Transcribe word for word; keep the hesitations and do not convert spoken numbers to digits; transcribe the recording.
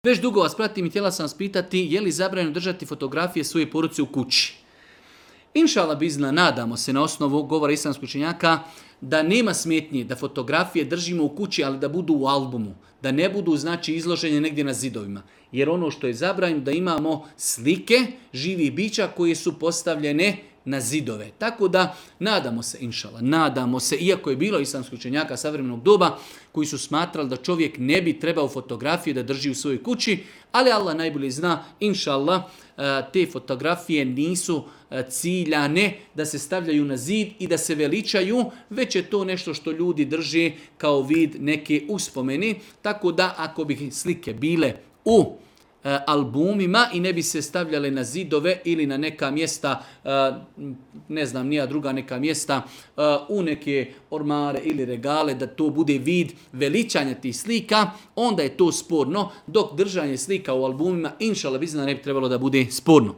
Već dugo vas pratim i htjela sam vas pitati je li zabranjeno držati fotografije svoje porodice u kući. Inšala bizna, nadamo se na osnovu govora islamskog učenjaka da nema smetnje da fotografije držimo u kući, ali da budu u albumu, da ne budu znači izloženje negdje na zidovima. Jer ono što je zabranjeno da imamo slike živih bića koje su postavljene na zidove. Tako da nadamo se, inšala, nadamo se, iako je bilo islamskih učenjaka savremenog doba koji su smatrali da čovjek ne bi trebao fotografije da drži u svojoj kući, ali Allah najbolje zna, inšallah, te fotografije nisu ciljane da se stavljaju na zid i da se veličaju, već je to nešto što ljudi drže kao vid neke uspomeni. Tako da ako bi slike bile u albumima i ne bi se stavljale na zidove ili na neka mjesta, ne znam, nija druga neka mjesta, u neke ormare ili regale, da to bude vid veličanja tih slika, onda je to sporno, dok držanje slika u albumima, inšallah bizna, ne bi trebalo da bude sporno.